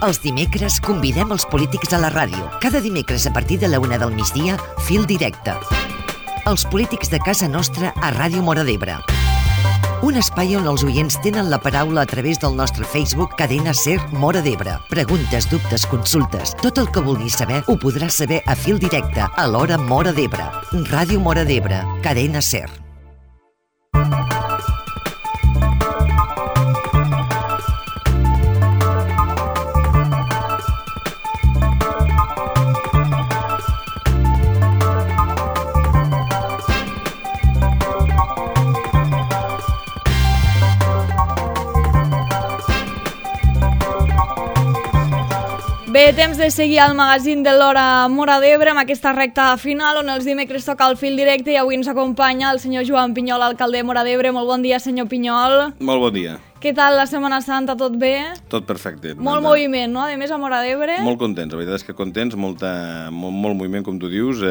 Els dimecres convidem els polítics a la ràdio. Cada dimecres a partir de la 1 del migdia, Fil Directe. Els polítics de casa nostra a Ràdio Móra d'Ebre. Un espai on els oients tenen la paraula a través del nostre Facebook Cadena Ser Móra d'Ebre. Preguntes, dubtes, consultes, tot el que vulguis saber ho podràs saber a Fil Directe a l'hora Móra d'Ebre. Ràdio Móra d'Ebre, Cadena Ser. Bé, temps de seguir al magazín de l'hora Móra d'Ebre amb aquesta recta final on els dimecres toca el Fil Directe i avui ens acompanya el senyor Joan Pinyol, alcalde de Móra d'Ebre. Molt bon dia, senyor Pinyol. Molt bon dia. Què tal la Setmana Santa? Tot bé? Tot perfecte. Molt moviment, no? A més, a Móra d'Ebre. Molt contents, la veritat és que contents, molt moviment, com tu dius.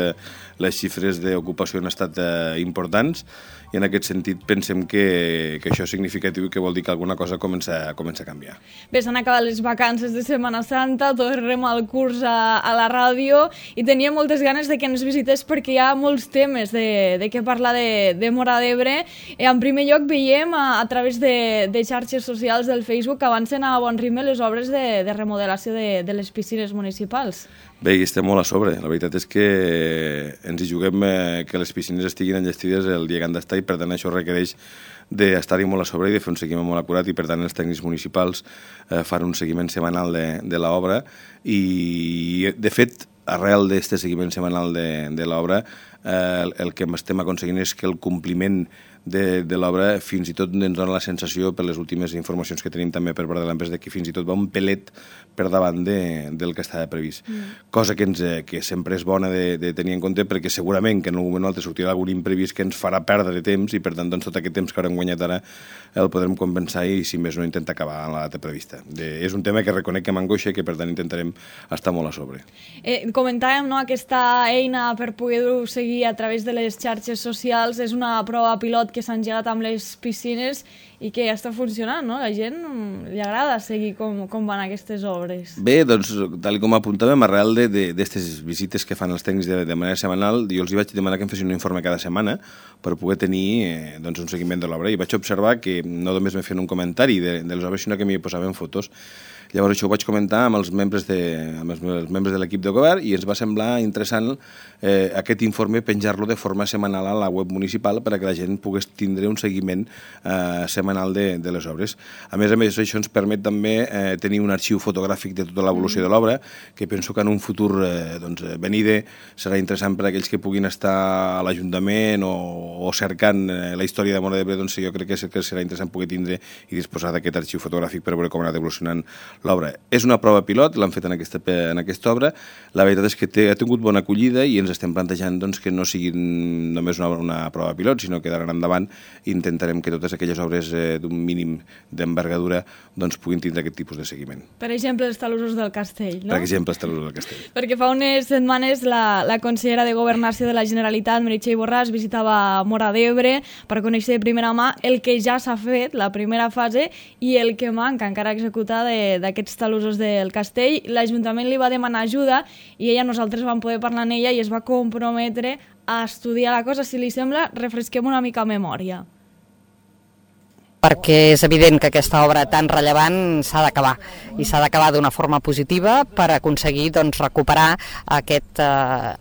Les xifres d'ocupació han estat importants i en aquest sentit pensem que això és significatiu i que vol dir que alguna cosa comença a canviar. Bé, s'han acabat les vacances de Setmana Santa, tornem al curs a la ràdio i tenia moltes ganes de que ens visités perquè hi ha molts temes de què parlar de Móra d'Ebre. En primer lloc veiem a través de xarxes socials del Facebook que avancen a bon ritme les obres de remodelació de les piscines municipals. Bé, hi estem molt a sobre. La veritat és que ens hi juguem que les piscines estiguin enllestides el dia que han d'estar i per tant això requereix d'estar-hi molt a sobre i de fer un seguiment molt acurat i per tant els tècnics municipals fan un seguiment setmanal de l'obra i de fet arrel d'aquest seguiment setmanal de l'obra el que estem aconseguint és que el compliment de l'obra fins i tot ens dona la sensació per les últimes informacions que tenim també per part de l'empresa que fins i tot va un pelet per davant del que estava previst. Cosa que sempre és bona de tenir en compte perquè segurament que en un moment o altre sortirà algun imprevist que ens farà perdre temps i per tant doncs, tot aquest temps que haurem guanyat ara el podrem compensar i si més no intentar acabar en la data prevista. És un tema que reconec que m'angoixa i que per tant intentarem estar molt a sobre. Comentàvem, no, aquesta eina per poder-ho seguir a través de les xarxes socials és una prova pilot que s'han engegat amb les piscines i que ja està funcionant, no? La gent li agrada seguir com van aquestes obres. Bé, doncs, tal com apuntàvem, arrel d'aquestes visites que fan els tècnics de manera setmanal, jo els vaig demanar que em fessin un informe cada setmana per poder tenir un seguiment de l'obra i vaig observar que no només me feien un comentari de les obres, sinó que m'hi posaven fotos. Llavors això ho vaig comentar amb els membres de l'equip de govern i ens va semblar interessant aquest informe penjar-lo de forma setmanal a la web municipal per a que la gent pogués tindre un seguiment setmanal de les obres. A més, això ens permet també tenir un arxiu fotogràfic de tota l'evolució de l'obra que penso que en un futur venide serà interessant per a aquells que puguin estar a l'Ajuntament o cercant la història de Móra d'Ebre, doncs jo crec que serà interessant poder tindre i disposar d'aquest arxiu fotogràfic per veure com ha anat evolucionant l'obra. És una prova pilot, l'han fet en aquesta obra. La veritat és que ha tingut bona acollida i ens estem plantejant doncs, que no sigui només una prova pilot, sinó que d'ara endavant intentarem que totes aquelles obres d'un mínim d'envergadura doncs, puguin tindre aquest tipus de seguiment. Per exemple, els talussos del Castell, no? Per exemple, els talussos del Castell. Perquè fa unes setmanes la consellera de Governació de la Generalitat, Meritxell Borràs, visitava Móra d'Ebre per conèixer de primera mà el que ja s'ha fet, la primera fase, i el que manca encara executar d'aquests talussos del Castell. L'Ajuntament li va demanar ajuda i nosaltres vam poder parlar amb ella i es va comprometre a estudiar la cosa. Si li sembla, refresquem una mica memòria. Perquè és evident que aquesta obra tan rellevant s'ha d'acabar i s'ha d'acabar d'una forma positiva per aconseguir recuperar aquest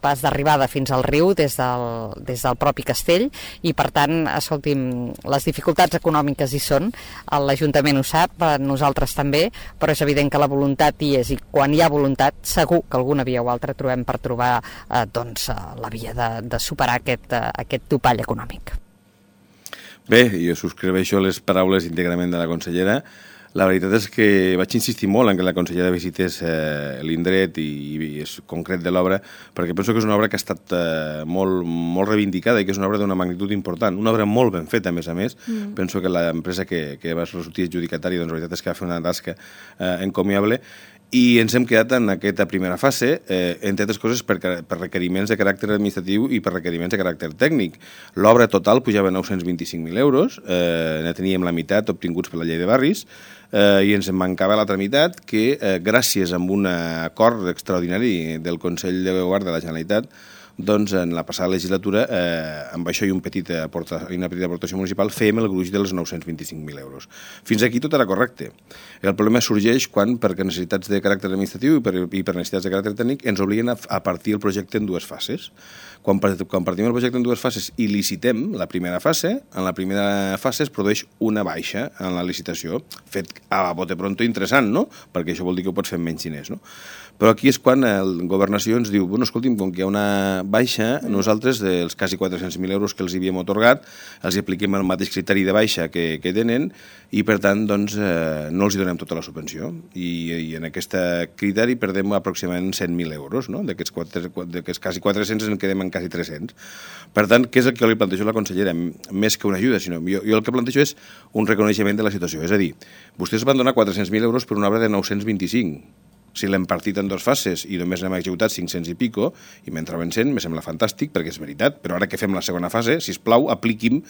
pas d'arribada fins al riu des del propi castell i per tant, escolti'm, les dificultats econòmiques hi són, l'Ajuntament ho sap, nosaltres també, però és evident que la voluntat hi és i quan hi ha voluntat segur que alguna via o altra trobem per trobar la via de superar aquest topall econòmic. Bé, jo subscriveixo les paraules íntegrament de la consellera. La veritat és que vaig insistir molt en que la consellera visités l'indret i és concret de l'obra, perquè penso que és una obra que ha estat molt reivindicada i que és una obra d'una magnitud important, una obra molt ben feta, a més. Penso que l'empresa que va sortir adjudicatària, doncs la veritat és que va fer una tasca encomiable I ens hem quedat en aquesta primera fase, entre altres coses, per requeriments de caràcter administratiu i per requeriments de caràcter tècnic. L'obra total pujava a 925.000 euros, ne teníem la meitat obtinguts per la llei de barris, i ens en mancava l'altra meitat que, gràcies a un acord extraordinari del Consell de Govern de la Generalitat, doncs en la passada legislatura, amb això i una petita aportació municipal, fèiem el gruix dels 925.000 euros. Fins aquí tot era correcte. El problema sorgeix quan, per necessitats de caràcter administratiu i per necessitats de caràcter tècnic, ens obliguen a partir el projecte en dues fases. Quan partim el projecte en dues fases i licitem la primera fase, en la primera fase es produeix una baixa en la licitació, fet a bote pronto interessant, no? Perquè això vol dir que ho pots fer amb menys diners, no? Però aquí és quan el Governació ens diu, bueno, escolti'm, com que hi ha una baixa, nosaltres, dels quasi 400.000 euros que els havíem atorgat, els apliquem el mateix criteri de baixa que tenen i, per tant, doncs, no els donem tota la subvenció. I en aquest criteri perdem aproximadament 100.000 euros, no? D'aquests quasi 400 en quedem en quasi 300. Per tant, què és el que li plantejo a la consellera? Més que una ajuda, sinó jo el que plantejo és un reconeixement de la situació. És a dir, vostès van donar 400.000 euros per una obra de 925. Si l'hem partit en dues fases i només n'hem executat 500 i pico, i mentre vencent, me sembla fantàstic, perquè és veritat, però ara que fem la segona fase, sisplau, apliqui'm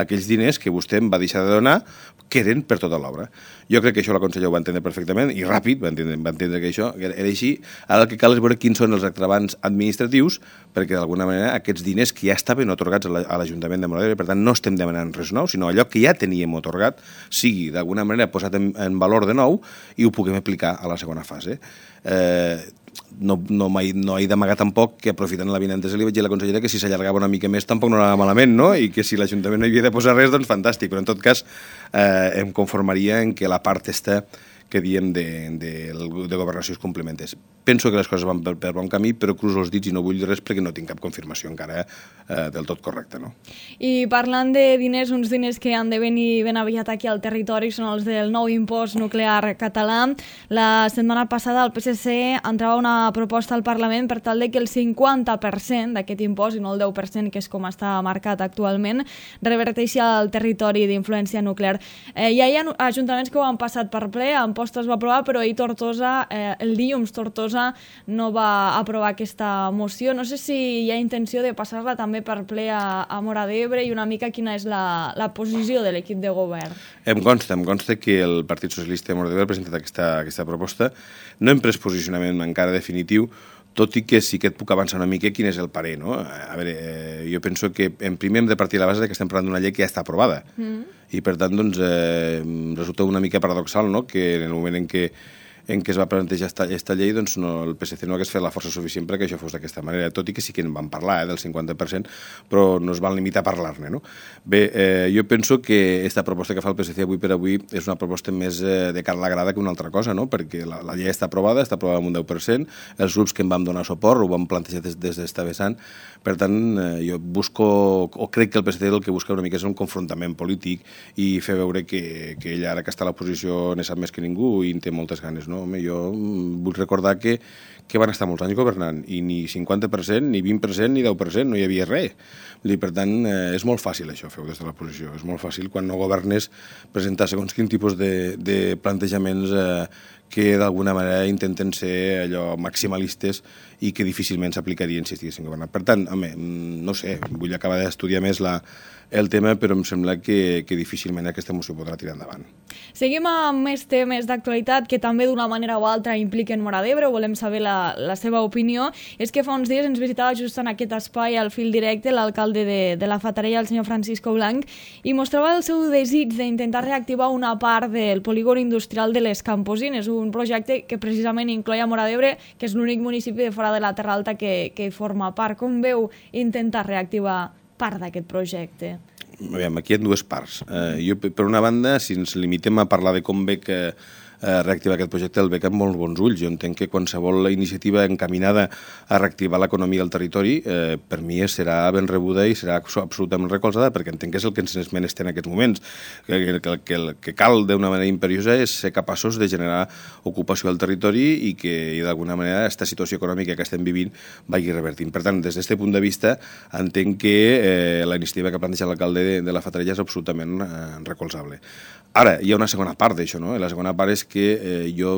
aquells diners que vostè em va deixar de donar, que eren per tota l'obra. Jo crec que això la consellera ho va entendre perfectament, i ràpid va entendre que això era així. Ara el que cal és veure quins són els agravants administratius, perquè d'alguna manera aquests diners que ja estaven atorgats a l'Ajuntament de Móra d'Ebre, per tant no estem demanant res nou, sinó allò que ja teníem atorgat, sigui d'alguna manera posat en valor de nou i ho puguem aplicar a la segona fase. No he d'amagar tampoc que aprofitant l'avinentesa li vaig dir a la consellera que si s'allargava una mica més tampoc no anava malament, no? I que si l'Ajuntament no hi havia de posar res, doncs fantàstic, però en tot cas em conformaria en que la part esta que diem de governació es complementés. Penso que les coses van per bon camí, però cruzo els dits i no vull dir res perquè no tinc cap confirmació encara del tot correcta, no? I parlant de diners, uns diners que han de venir ben aviat aquí al territori són els del nou impost nuclear català. La setmana passada el PSC entrava una proposta al Parlament per tal de que el 50% d'aquest impost, i no el 10%, que és com està marcat actualment, reverteixi al territori d'influència nuclear. Ja hi ha ajuntaments que ho han passat per ple, Amposta es va aprovar, però ahir Tortosa, el dilluns Tortosa no va aprovar aquesta moció. No sé si hi ha intenció de passar-la també per ple a Móra d'Ebre i una mica quina és la posició de l'equip de govern. Em consta que el Partit Socialista de Móra d'Ebre ha presentat aquesta proposta. No hem pres posicionament encara definitiu, tot i que sí que et puc avançar una mica quin és el parer, no? A veure, jo penso que en primer hem de partir de la base que estem parlant d'una llei que ja està aprovada. I per tant, doncs, resulta una mica paradoxal, no?, que en el moment en què es va plantejar aquesta llei, doncs el PSC no hagués fet la força suficient perquè això fos d'aquesta manera, tot i que sí que en van parlar, del 50%, però no es van limitar a parlar-ne, no? Bé, jo penso que aquesta proposta que fa el PSC avui per avui és una proposta més de cara a la grada que una altra cosa, no? Perquè la llei està aprovada amb un 10%, els grups que en vam donar suport ho vam plantejar des d'esta vessant, per tant, jo crec que el PSC el que busca una mica és un confrontament polític i fer veure que ell ara que està a l'oposició ne sap més que ningú i en té moltes ganes, no? Home, jo vull recordar que van estar molts anys governant i ni 50%, ni 20%, ni 10%, no hi havia res. Per tant, és molt fàcil això, fer-ho des de l'oposició. És molt fàcil, quan no governes, presentar segons quin tipus de plantejaments que d'alguna manera intenten ser allò maximalistes i que difícilment s'aplicarien si estiguessin governant. Per tant, home, no sé, vull acabar d'estudiar més el tema, però em sembla que difícilment aquesta moció podrà tirar endavant. Seguim amb més temes d'actualitat que també d'una manera o altra impliquen Móra d'Ebre, volem saber la seva opinió. És que fa uns dies ens visitava just en aquest espai al fil directe l'alcalde de la Fatarella, el senyor Francisco Blanc, i mostrava el seu desig d'intentar reactivar una part del polígon industrial de les Camposines, un projecte que precisament incloïa Móra d'Ebre, que és l'únic municipi de fora de la Terra Alta que forma part. Com veu intentar reactivar part d'aquest projecte? Aquí hi ha dues parts. Jo, per una banda, si ens limitem a parlar de com veig reactivar aquest projecte, el veig amb molts bons ulls. Jo entenc que qualsevol iniciativa encaminada a reactivar l'economia del territori, per mi serà ben rebuda i serà absolutament recolzada, perquè entenc que és el que ens menester en aquests moments. El que cal d'una manera imperiosa és ser capaços de generar ocupació al territori i que d'alguna manera aquesta situació econòmica que estem vivint vagi revertint. Per tant, des d'aquest punt de vista, entenc que la iniciativa que planteja l'alcalde de la Fatarella és absolutament recolzable. Ara, hi ha una segona part d'això, no? La segona part és que jo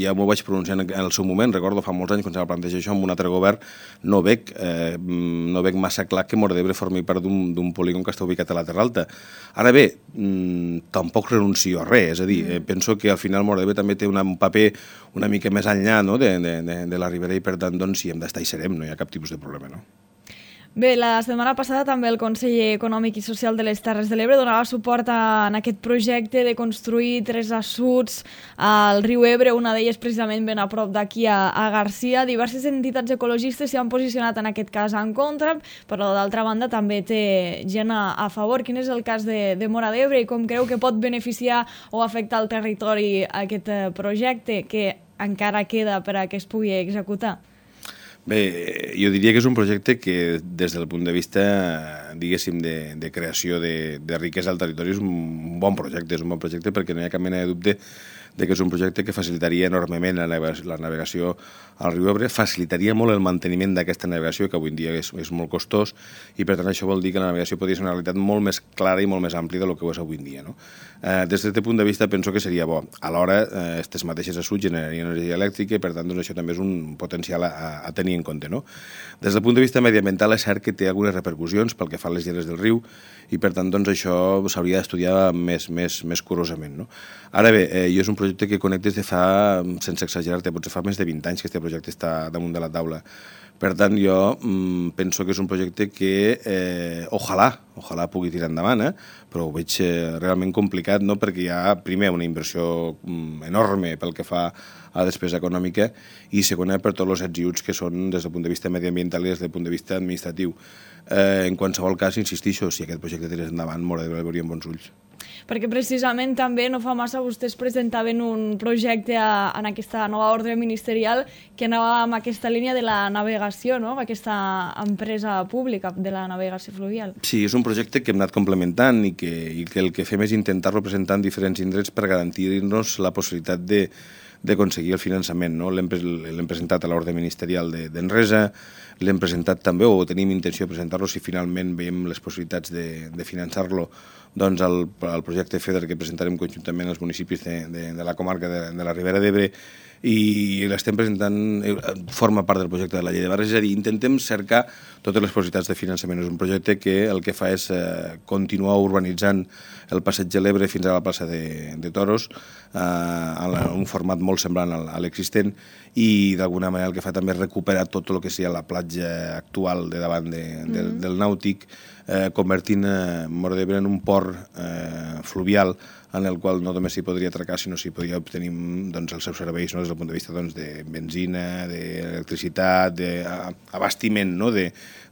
ja m'ho vaig pronunciar en el seu moment, recordo fa molts anys quan se va plantejar això amb un altre govern, no veig massa clar que Móra d'Ebre formi part d'un polígon que està ubicat a la Terra Alta. Ara bé, tampoc renuncio a res, és a dir, penso que al final Móra d'Ebre també té un paper una mica més enllà de la Ribera i per tant, si hem d'estar hi serem, no hi ha cap tipus de problema, no? Bé, la setmana passada també el Conseller Econòmic i Social de les Terres de l'Ebre donava suport en aquest projecte de construir 3 assuts al riu Ebre, una d'elles precisament ben a prop d'aquí a Garcia. Diverses entitats ecologistes s'hi han posicionat en aquest cas en contra, però d'altra banda també té gent a favor. Quin és el cas de Móra d'Ebre i com creu que pot beneficiar o afectar el territori aquest projecte que encara queda per a que es pugui executar? Bé, jo diria que és un projecte que des del punt de vista, diguéssim, de creació de riquesa al territori és un bon projecte, perquè no hi ha cap mena de dubte que és un projecte que facilitaria enormement la navegació al riu Ebre, facilitaria molt el manteniment d'aquesta navegació, que avui en dia és molt costós, i per tant això vol dir que la navegació podria ser una realitat molt més clara i molt més àmplia del que ho és avui en dia, no? Des d'aquest punt de vista penso que seria bo. Alhora, aquestes mateixes assuts generarien energia elèctrica i per tant això també és un potencial a tenir en compte, no? Des del punt de vista mediambiental és cert que té algunes repercussions pel que fa a les lleres del riu i per tant això s'hauria d'estudiar més curosament, no? Ara bé, jo és un projecte que conec des de fa, sense exagerar-te, potser fa més de 20 anys que aquest projecte està damunt de la taula. Per tant, jo penso que és un projecte que ojalà pugui tirar endavant, però ho veig realment complicat, no? Perquè hi ha, primer, una inversió enorme pel que fa a despesa econòmica i, segona, per tots els ets i uts que són des del punt de vista mediambiental i des del punt de vista administratiu. En qualsevol cas, insistixo, si aquest projecte tirés endavant, Móra d'Ebre el veuria amb bons ulls. Perquè precisament també no fa massa vostès presentaven un projecte en aquesta nova ordre ministerial que anava amb aquesta línia de la navegació, no? Aquesta empresa pública de la navegació fluvial. Sí, és un projecte que hem anat complementant i que el que fem és intentar-lo presentar en diferents indrets per garantir-nos la possibilitat d'aconseguir el finançament, no? L'hem presentat a l'ordre ministerial d'Enresa, l'hem presentat també, o tenim intenció de presentar-lo si finalment veiem les possibilitats de finançar-lo, doncs al projecte FEDER que presentarem conjuntament als municipis de la comarca de la Ribera d'Ebre i l'estem presentant, forma part del projecte de la llei de barris, és a dir, intentem cercar totes les possibilitats de finançament. És un projecte que el que fa és continuar urbanitzant el passeig de l'Ebre fins a la plaça de Toros en un format molt semblant a l'existent i d'alguna manera el que fa també és recuperar tot el que sigui la platja actual de davant del Nàutic, convertint Móra d'Ebre en un port fluvial en el qual no només s'hi podria atracar, sinó s'hi podria obtenir els seus serveis des del punt de vista de benzina, d'electricitat, d'abastiment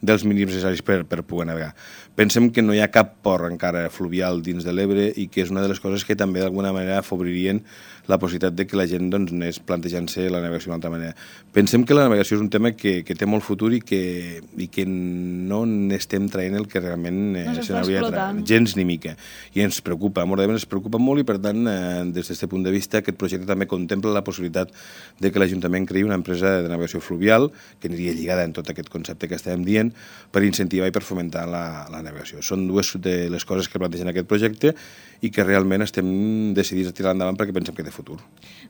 dels mínims necessaris per poder navegar. Pensem que no hi ha cap port encara fluvial dins de l'Ebre i que és una de les coses que també d'alguna manera afavoririen la possibilitat de que la gent anés plantejant-se la navegació d'una altra manera. Pensem que la navegació és un tema que té molt futur i que no n'estem traient el que realment se n'hauria de traure, gens ni mica. I ens preocupa, a Móra d'Ebre ens preocupa molt i per tant, des d'aquest punt de vista, aquest projecte també contempla la possibilitat de que l'Ajuntament creï una empresa de navegació fluvial que aniria lligada en tot aquest concepte que estàvem dient per incentivar i per fomentar la navegació. Són dues de les coses que plantegen aquest projecte i que realment estem decidits a tirar endavant perquè pensem que té futur.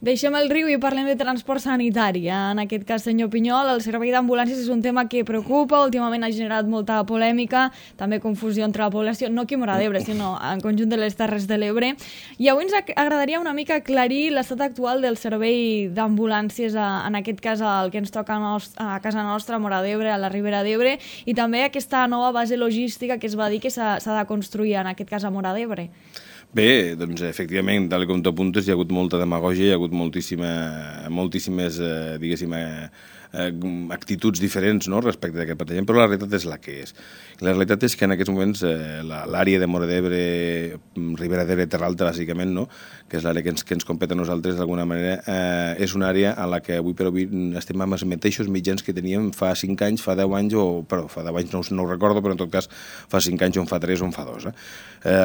Deixem el riu i parlem de transport sanitari. En aquest cas, senyor Pinyol, el servei d'ambulàncies és un tema que preocupa, últimament ha generat molta polèmica, també confusió entre la població, no aquí a Móra d'Ebre, sinó en conjunt de les Terres de l'Ebre. I avui ens agradaria una mica aclarir l'estat actual del servei d'ambulàncies, en aquest cas el que ens toca a casa nostra, a Móra d'Ebre, a la Ribera d'Ebre, i també aquesta nova base logística que es va dir que s'ha de construir, en aquest cas a Móra d'Ebre. Bé, doncs efectivament, tal com tu apuntes, hi ha hagut molta demagògia, hi ha hagut moltíssimes, diguéssim, actituds diferents, no?, respecte d'aquest plantejament, però la realitat és la que és. La realitat és que en aquests moments l'àrea de Móra d'Ebre, Ribera d'Ebre, Terra Alta, bàsicament, no?, que és l'àrea que ens competa a nosaltres d'alguna manera, és una àrea a la que avui per avui estem amb els mateixos mitjans que teníem fa 5 anys, fa 10 anys, fa 10 anys no ho recordo, però en tot cas fa 5 anys o en fa 3 o en fa 2.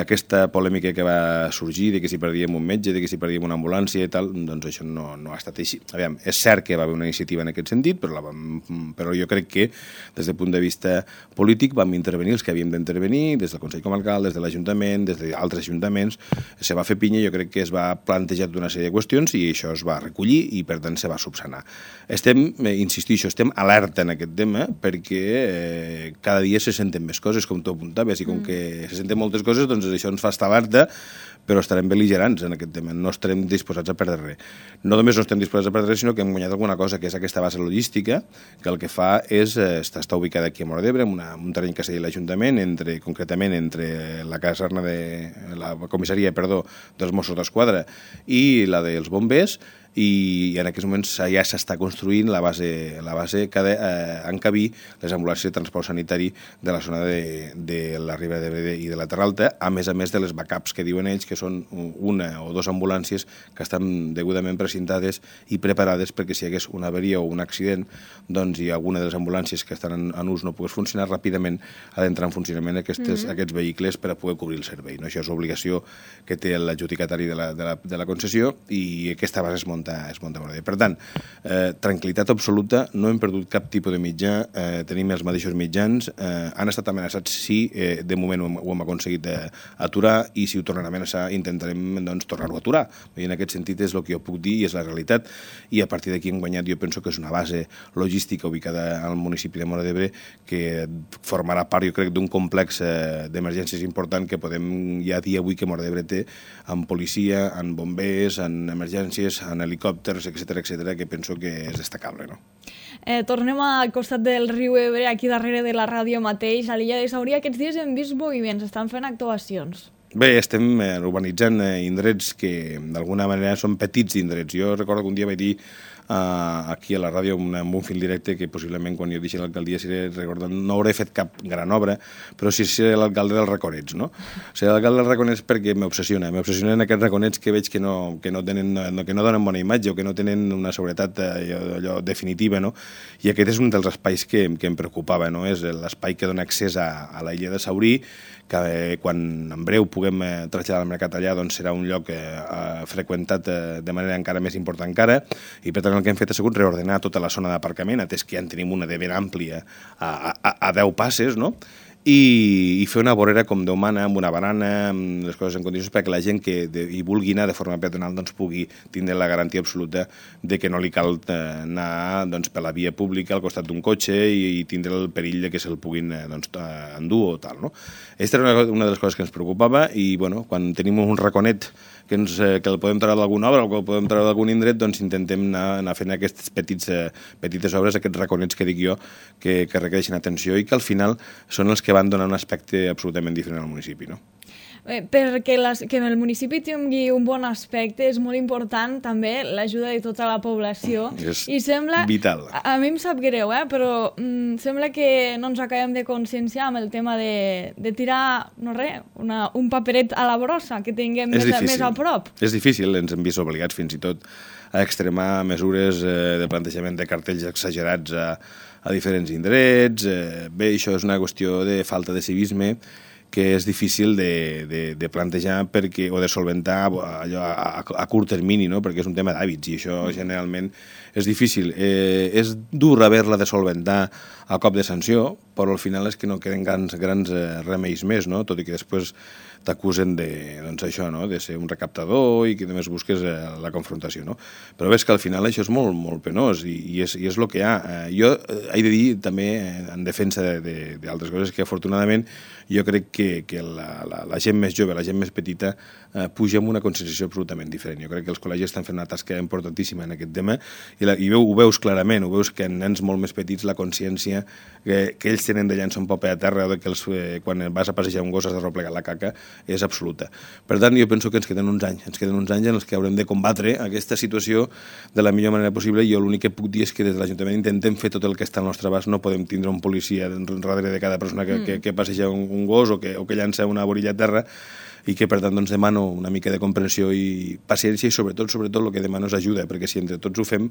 Aquesta polèmica que va sorgir de que si perdíem un metge, de que si perdíem una ambulància i tal, doncs això no ha estat així. Aviam, és cert que va haver una iniciativa en aquest sentit, però jo crec que des del punt de vista polític vam intervenir els que havíem d'intervenir, des del Consell Comarcal, des de l'Ajuntament, des d'altres ajuntaments, se va fer pinya, jo crec que es va plantejar una sèrie de qüestions i això es va recollir i per tant se va subsanar. Insistixo, estem alerta en aquest tema perquè cada dia se senten més coses, com tu apuntaves, i com que se senten moltes coses, doncs això ens fa estar alerta, però estarem bel·ligerants en aquest tema, no estarem disposats a perdre res. No només no estem disposats a perdre res, sinó que hem guanyat alguna cosa, que és aquesta base logística, que el que fa és, està ubicada aquí a Móra d'Ebre, en un terreny que s'ha dit l'Ajuntament, concretament entre la caserna la comissaria, dels Mossos d'Esquadra i la dels bombers, i en aquests moments ja s'està construint la base que ha d'encabir les ambulàncies de transport sanitari de la zona de la Ribera d'Ebre i de la Terra Alta, a més de les backups que diuen ells, que són una o dues ambulàncies que estan degudament precintades i preparades perquè si hi hagués una avaria o un accident, doncs i alguna de les ambulàncies que estan en ús no pogués funcionar, ràpidament ha d'entrar en funcionament aquests vehicles per a poder cobrir el servei. Això és obligació que té l'adjudicatari de la concessió i aquesta base es munta molt bé. Per tant, tranquil·litat absoluta, no hem perdut cap tipus de mitjà, tenim els mateixos mitjans, han estat amenaçats, sí, de moment ho hem aconseguit aturar i si ho tornen a amenaçar intentarem tornar-ho a aturar. I en aquest sentit és el que jo puc dir i és la realitat i a partir d'aquí hem guanyat, jo penso que és una base logística ubicada al municipi de Móra d'Ebre que formarà part, jo crec, d'un complex d'emergències important que podem ja dir avui que Móra d'Ebre té en policia, en bombers, en emergències, en helicòpters, etc., que penso que és destacable, no? Tornem al costat del riu Ebre, aquí darrere de la ràdio mateix, a l'illa de Saurí. Aquests dies hem vist moviments, estan fent actuacions. Bé, estem urbanitzant indrets que d'alguna manera són petits indrets. Jo recordo que un dia vaig dir aquí a la ràdio amb un fil directe que possiblement quan jo deixi l'alcaldia no hauré fet cap gran obra, però sí seré l'alcalde dels raconets, no? Seré l'alcalde dels raconets perquè m'obsessionen aquests raconets que veig que no donen bona imatge o que no tenen una seguretat allò definitiva, no? I aquest és un dels espais que em preocupava, no? És l'espai que dona accés a la illa de Saurí, que quan en breu puguem traslladar al mercat allà doncs serà un lloc freqüentat de manera encara més important encara, i per tant el que hem fet ha sigut reordenar tota la zona d'aparcament, atès que ja en tenim una de ben àmplia a 10 passes, no? I fer una vorera com Déu mana, amb una barana, amb les coses en condicions perquè la gent que hi vulgui anar de forma peatonal doncs pugui tindre la garantia absoluta de que no li cal anar per la via pública al costat d'un cotxe i tindre el perill de que se'l puguin endur o tal, no? Aquesta era una de les coses que ens preocupava i, bueno, quan tenim un raconet que el podem treure d'alguna obra o que el podem treure d'algun indret, doncs intentem anar fent aquestes petites obres, aquests raconets que dic jo, que requereixen atenció i que al final són els que van donar un aspecte absolutament diferent al municipi, no? Perquè que el municipi tingui un bon aspecte és molt important també l'ajuda de tota la població. És sembla, vital. A mi em sap greu, però sembla que no ens acabem de conscienciar amb el tema de tirar, no res, un paperet a la brossa, que tinguem més a prop. És difícil, ens hem vist obligats fins i tot a extremar mesures de plantejament de cartells exagerats a diferents indrets. Bé, això és una qüestió de falta de civisme que és difícil de plantejar o de solventar allò a curt termini, no? Perquè és un tema d'hàbits i això generalment és difícil. És dur haver-la de solventar a cop de sanció, però al final és que no queden grans remeis més, no? Tot i que després t'acusen de ser un recaptador i que només busques la confrontació, no? Però ves que al final això és molt, molt penós i és el que hi ha. Jo he de dir també en defensa d'altres coses que afortunadament jo crec que la gent més jove, la gent més petita puja amb una conscienciació absolutament diferent. Jo crec que els col·legis estan fent una tasca importantíssima en aquest tema i ho veus clarament, ho veus que en nens molt més petits la consciència que ells tenen de llançar un paper a terra o que quan vas a passejar un gos has de replegar la caca és absoluta. Per tant, jo penso que ens queden uns anys en els que haurem de combatre aquesta situació de la millor manera possible i jo l'únic que puc dir és que des de l'Ajuntament intentem fer tot el que està al nostre abast, no podem tindre un policia darrere de cada persona que passeja un gos o que llança una borilla a terra i que per tant doncs, demano una mica de comprensió i paciència i sobretot el que demano és ajuda, perquè si entre tots ho fem,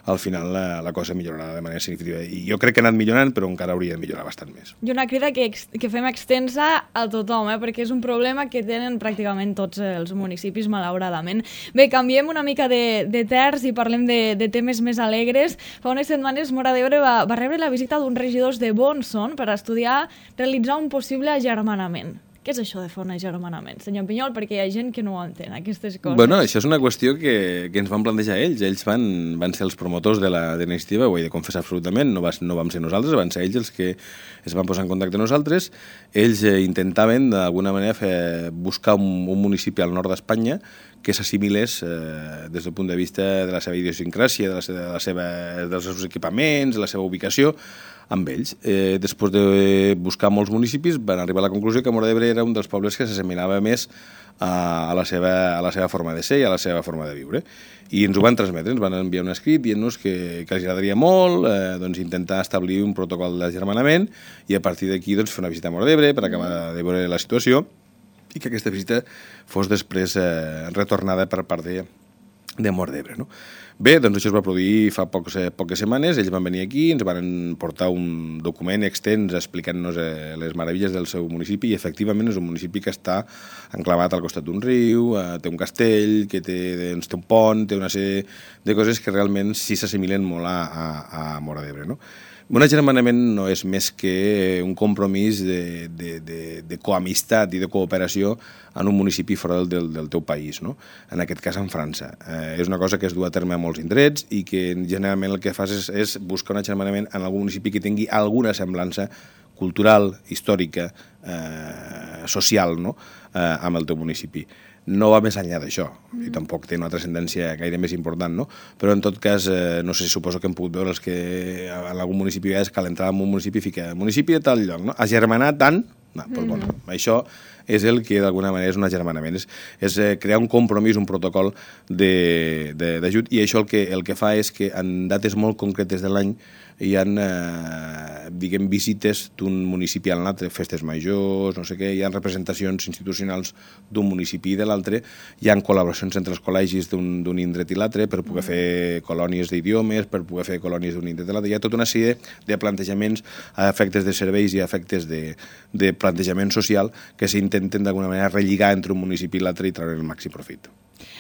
al final la cosa millorarà de manera significativa. I jo crec que ha anat millorant, però encara hauria de millorar bastant més. I una crida que fem extensa a tothom, perquè és un problema que tenen pràcticament tots els municipis, malauradament. Bé, canviem una mica de terç i parlem de temes més alegres. Fa unes setmanes Móra d'Ebre va rebre la visita d'uns regidors de Bonson per estudiar realitzar un possible agermanament. Què és això de fer un agermanament, senyor Pinyol? Perquè hi ha gent que no ho entén, aquestes coses. Bueno, això és una qüestió que ens van plantejar ells. Ells van ser els promotors de la iniciativa, ho he de confessar absolutament, no vam ser nosaltres, van ser ells els que es van posar en contacte amb nosaltres. Ells intentaven, d'alguna manera, buscar un municipi al nord d'Espanya que s'assimilés des del punt de vista de la seva idiosincràsia, dels seus equipaments, de la seva ubicació, amb ells. Després de buscar molts municipis, van arribar a la conclusió que Móra d'Ebre era un dels pobles que s'assemblava més a la seva forma de ser i a la seva forma de viure. I ens ho van transmetre, ens van enviar un escrit dient-nos que els agradaria molt intentar establir un protocol d'agermanament i a partir d'aquí fer una visita a Móra d'Ebre per acabar de veure la situació i que aquesta visita fos després retornada per part de Móra d'Ebre, no? Bé, doncs això es va produir fa poques setmanes, ells van venir aquí, ens van portar un document extens explicant-nos les meravilles del seu municipi i efectivament és un municipi que està enclavat al costat d'un riu, té un castell, que té un pont, té una sèrie de coses que realment sí s'assimilen molt a Móra d'Ebre, no? Un agermanament no és més que un compromís de coamistat i de cooperació en un municipi fora del teu país, no? En aquest cas en França. És una cosa que es du a terme a molts indrets i que generalment el que fas és buscar un agermanament en algun municipi que tingui alguna semblança cultural, històrica, social, no? Amb el teu municipi. No va més enllà d'això, i tampoc té una transcendència gaire més important, no? Però en tot cas, no sé, suposo que hem pogut veure els que en algun municipi és que a l'entrada en un municipi fica municipi de tal lloc, no? Agermanat tant? No, doncs bueno, això és el que d'alguna manera és un agermanament, és crear un compromís, un protocol d'ajut, i això el que fa és que en dates molt concretes de l'any hi ha, diguem, visites d'un municipi a l'altre, festes majors, no sé què, hi ha representacions institucionals d'un municipi i de l'altre, hi ha col·laboracions entre els col·legis d'un indret i l'altre per poder fer colònies d'idiomes, per poder fer colònies d'un indret i l'altre. Hi ha tota una sèrie de plantejaments a efectes de serveis i a efectes de plantejament social que s'intenten d'alguna manera relligar entre un municipi i l'altre i treure el màxim profit.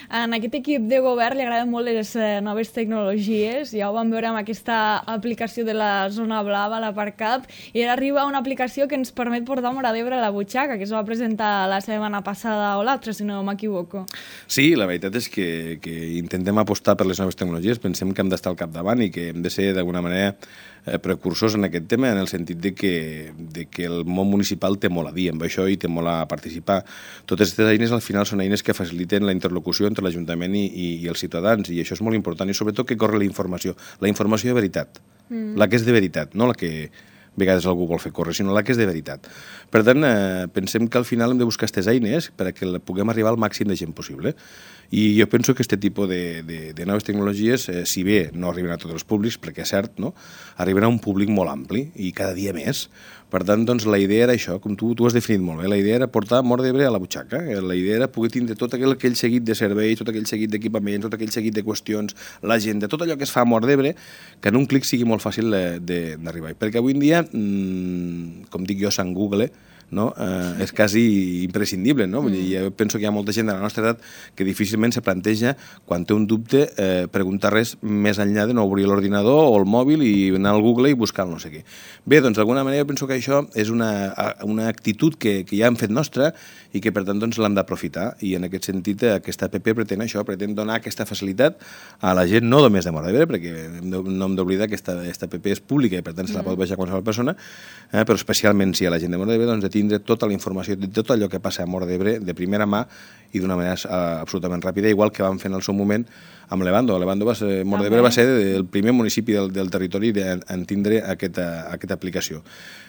En aquest equip de govern li agraden molt les noves tecnologies, ja ho vam veure amb aquesta aplicació de la zona blava, la ParkUp, i ara arriba una aplicació que ens permet portar Móra d'Ebre a la butxaca, que es va presentar la setmana passada o l'altra, si no m'equivoco. Sí, la veritat és que intentem apostar per les noves tecnologies, pensem que hem d'estar al capdavant i que hem de ser d'alguna manera precursors en aquest tema, en el sentit de que el món municipal té molt a dir amb això i té molt a participar. Totes aquestes eines al final són eines que faciliten la interlocució entre l'Ajuntament i els ciutadans, i això és molt important, i sobretot que corre la informació de veritat, la que és de veritat, no la que a vegades algú vol fer córrer, sinó la que és de veritat. Per tant, pensem que al final hem de buscar aquestes eines perquè puguem arribar al màxim de gent possible. I jo penso que aquest tipus de noves tecnologies, si bé no arriben a tots els públics, perquè és cert, no? Arriben a un públic molt ampli i cada dia més. Per tant, doncs, la idea era això, com tu has definit molt bé, la idea era portar Móra d'Ebre a la butxaca, la idea era poder tindre tot aquell seguit de serveis, tot aquell seguit d'equipaments, tot aquell seguit de qüestions, l'agenda, tot allò que es fa a Móra d'Ebre, que en un clic sigui molt fàcil d'arribar. Perquè avui en dia, com dic jo, Sant Google, no? És quasi imprescindible, no? Vull dir, jo penso que hi ha molta gent de la nostra edat que difícilment se planteja, quan té un dubte, preguntar res més enllà de no obrir l'ordinador o el mòbil i anar al Google i buscar el no sé què. Bé, doncs d'alguna manera jo penso que això és una actitud que ja hem fet nostra i que per tant doncs, l'hem d'aprofitar, i en aquest sentit aquesta app pretén això, pretén donar aquesta facilitat a la gent, no només de Móra d'Ebre, perquè no hem d'oblidar que aquesta app és pública i per tant se la pot baixar qualsevol persona, però especialment si a la gent de Móra d'Ebre doncs, de tindre tota la informació de tot allò que passa a Móra d'Ebre de primera mà i d'una manera absolutament ràpida, igual que vam fer en el seu moment amb Levando. Móra d'Ebre va ser el primer municipi del territori en tindre aquesta aplicació.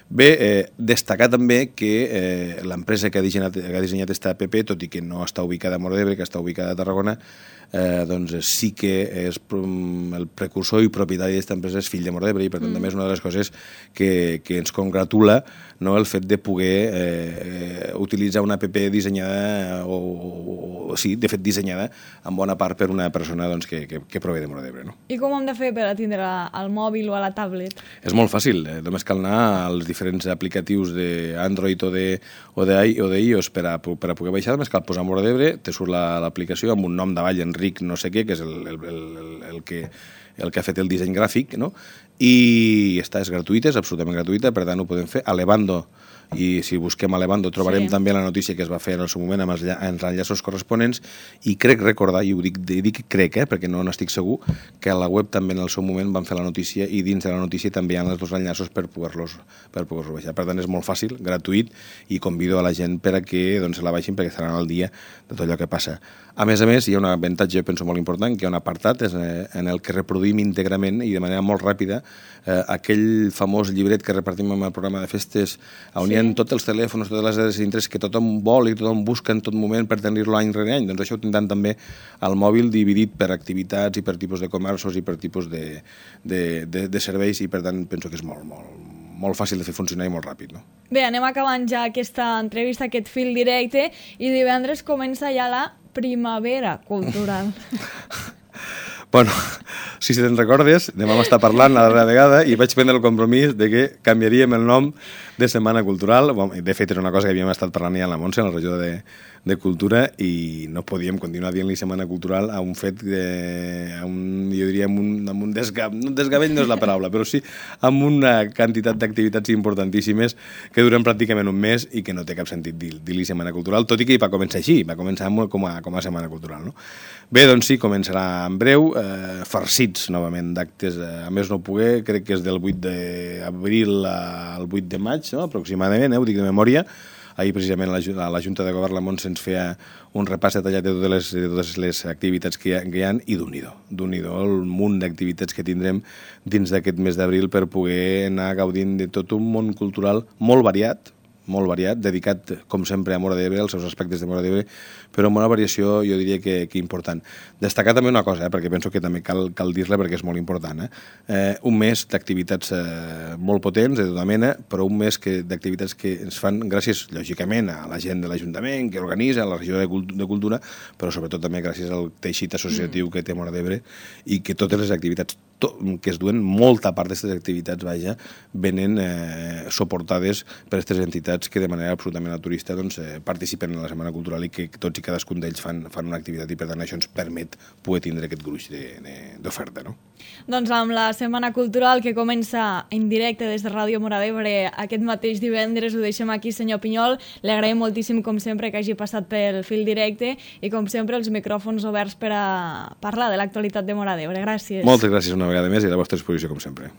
Bé, destacar també que l'empresa que ha dissenyat aquesta app, tot i que no està ubicada a Móra d'Ebre, que està ubicada a Tarragona, doncs sí que és el precursor i propietari d'aquesta empresa és fill de Móra d'Ebre, i per tant també és una de les coses que ens congratula, no, el fet de poder poder utilitzar una app dissenyada, sí, de fet dissenyada en bona part per una persona doncs, que prové de Móra d'Ebre. No? I com ho hem de fer per a tindre al mòbil o a la tablet? És molt fàcil, només cal anar als diferents aplicatius d'Android o d'iOS per a poder baixar, només cal posar Móra d'Ebre, te surt l'aplicació amb un nom davall, Enric no sé què, que és el que ha fet el disseny gràfic, no? I és gratuïta, és absolutament gratuïta, per tant ho podem fer a Levando, i si busquem a Levando trobarem també la notícia que es va fer en el seu moment amb els enllaços corresponents, i crec recordar, i ho dic crec, perquè no n'estic segur, que a la web també en el seu moment van fer la notícia, i dins de la notícia també hi ha els dos enllaços per poder-los baixar. Per tant és molt fàcil, gratuït, i convido a la gent per a que se la baixin perquè estaran al dia de tot allò que passa. A més, hi ha un avantatge, jo penso, molt important, que hi ha un apartat en el que reproduïm íntegrament i de manera molt ràpida aquell famós llibret que repartim en el programa de festes, on hi ha tots els telèfons, totes les dades d'interès que tothom vol i tothom busca en tot moment per tenir-lo any rere any. Doncs això ho tindran també al mòbil dividit per activitats i per tipus de comerços i per tipus de serveis, i per tant penso que és molt fàcil de fer funcionar i molt ràpid. No? Bé, anem acabant ja aquesta entrevista, aquest fil directe, i divendres comença ja la primavera cultural. Bueno, si te'n recordes, demà m'està parlant la darrera vegada i vaig prendre el compromís de que canviaríem el nom de Setmana Cultural. De fet, era una cosa que havíem estat parlant ja en la Montse, en la regió de Cultura, i no podíem continuar dient-li Setmana Cultural a un fet, jo diria, amb un desgavell no és la paraula, però sí amb una quantitat d'activitats importantíssimes que duren pràcticament un mes i que no té cap sentit dir-li Setmana Cultural, tot i que va començar així, va començar com a Setmana Cultural. No? Bé, doncs sí, començarà en breu, farcits novament d'actes, a més no poder, crec que és del 8 d'abril al 8 de maig, no? Aproximadament, ho dic de memòria. Ahir precisament a la Junta de Govern la Montse ens feia un repàs detallat de totes les activitats que hi ha, i d'un-hi-do el munt d'activitats que tindrem dins d'aquest mes d'abril per poder anar gaudint de tot un món cultural molt variat, dedicat, com sempre, a Móra d'Ebre, als seus aspectes de Móra d'Ebre, però amb una variació, jo diria que important. Destacar també una cosa, perquè penso que també cal dir-la perquè és molt important. Un mes d'activitats molt potents, de tota mena, però un mes d'activitats que ens fan gràcies, lògicament, a la gent de l'Ajuntament, que organitza, a la regió de Cultura, però sobretot també gràcies al teixit associatiu que té Móra d'Ebre, i que totes les activitats que es duen, molta part d'aquestes activitats, venen suportades per aquestes entitats que de manera absolutament naturista participen en la Setmana Cultural i que tots i cadascun d'ells fan una activitat, i per tant això ens permet poder tindre aquest gruix d'oferta. No? Doncs amb la Setmana Cultural que comença en directe des de Ràdio Móra d'Ebre aquest mateix divendres, ho deixem aquí, senyor Pinyol. Li agraïm moltíssim, com sempre, que hagi passat pel fil directe i, com sempre, els micròfons oberts per a parlar de l'actualitat de Móra d'Ebre. Gràcies. Moltes gràcies una vegada més i a la vostra disposició, com sempre.